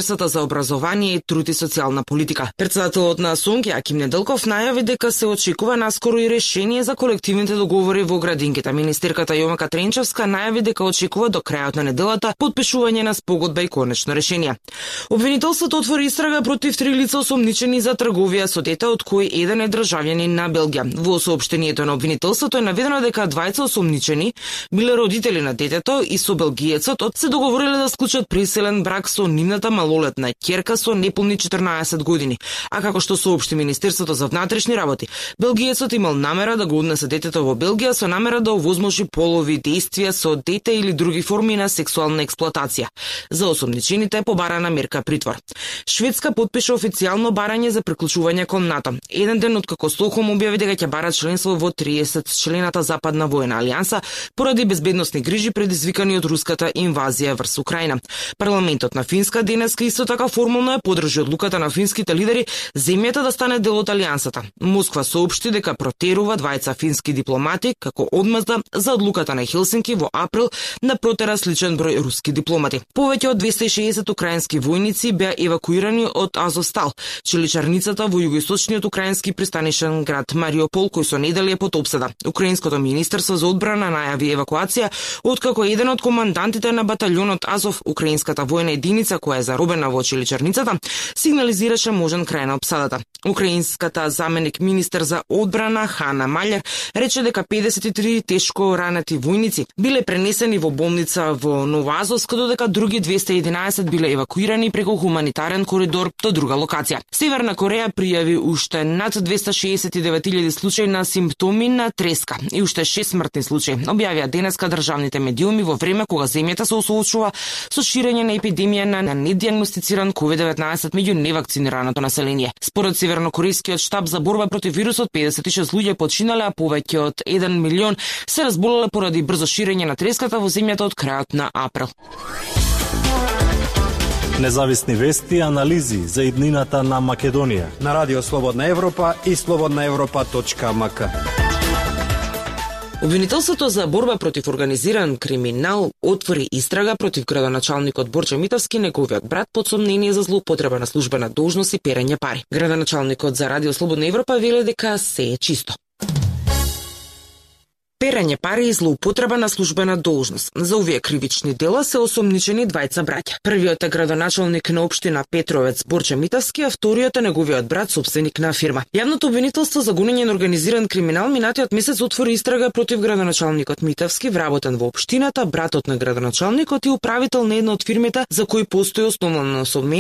за образование и труд и социјална политика. Председателот на СОНК Аким Неделков најави дека се очекува наскоро и решение за колективните договори во градинките. Министерката Јомака Тренчевска најави дека очекува до крајот на неделата потпишување на спогодба и конечно решение. Обвинителството отвори истрага против 3 лица осомничени за трговија со дете, од кои еден е државјанин на Белгија. Во соопштението на обвинителството е наведено дека двајца осомничени биле родители на детето и со белгиецот се договориле да склучат приселен брак со нивната малолетна ќерка со неполни 14 години. А како што соопшти Министерството за внатрешни работи, белгиецот имал намера да го однесе детето во Белгија со намера да овозможи полови действија со дете или други форми на сексуална експлоатација. За осомничените побарана мерка притвор. Шведска потпиша официјално барање за приклучување кон НАТО. Еден ден откако Стокхолм објави дека ќе бара членство во 30 члената Западна војна алијанса поради безбедносни грижи предизвикани од руската инвазија врз Украина. Парламентот на Финска денеска исто така формално ја поддржи одлуката на финските лидери земјата да стане дел од алијансата. Москва соопшти дека протерува двајца фински дипломати како одмазда за одлуката на Хелсинки во април на протера сличен број руски дипломати. Повеќе од 260 украински војници беа евакуирани од Азовстал, чиличарницата во југоисточниот украински пристанишен град Мариупол, кој со недели е под опсада. Украинското министерство за одбрана најави евакуација откако еден од командантите на баталјонот Азов, украинската војна единица која е заробена во чиличарницата, сигнализираше можен крај на опсадата. Украинската заменик министер за одбрана Хана Малер рече дека 53 тешко ранети војници биле пренесени во болница во Новоазовск, додека други 211 биле евакуирани преку хуманитарен коридор до друга локација. Северна Кореја пријави уште над 269.000 случаи на симптоми на треска и уште 6 смртни случаи. Објавија денеска државните медиуми во време кога земјата се соочува со ширење на епидемија на недиагностициран COVID-19 меѓу невакцинираното население. Според севернокорејскиот штаб за борба против вирусот, 56 луѓе починале, а повеќе од 1 милион се разболеле поради брзо ширење на треската во земјата од крајот на април. Независни вести и анализи за иднината на Македонија на Радио Слободна Европа и slobodnaevropa.mk. Обвинителството за борба против организиран криминал отвори истрага против градоначалникот Борче Митовски, неговиот брат, под сомнение за злоупотреба на службена должност и перење пари. Градоначалникот за Радио Слободна Европа веле дека се е чисто. Перење пари и злоупотреба на службена должност. За овие кривични дела се осомничени двајца браќа. Првиот е градоначалник на општина Петровец Борче Митовски, а вториот е неговиот брат, сопственик на фирма. Јавното обвинителство за гонење на организиран криминал минатиот месец отвори истрага против градоначалникот Митовски, вработен во општината, братот на градоначалникот и управител на една од фирмите за кои постои основно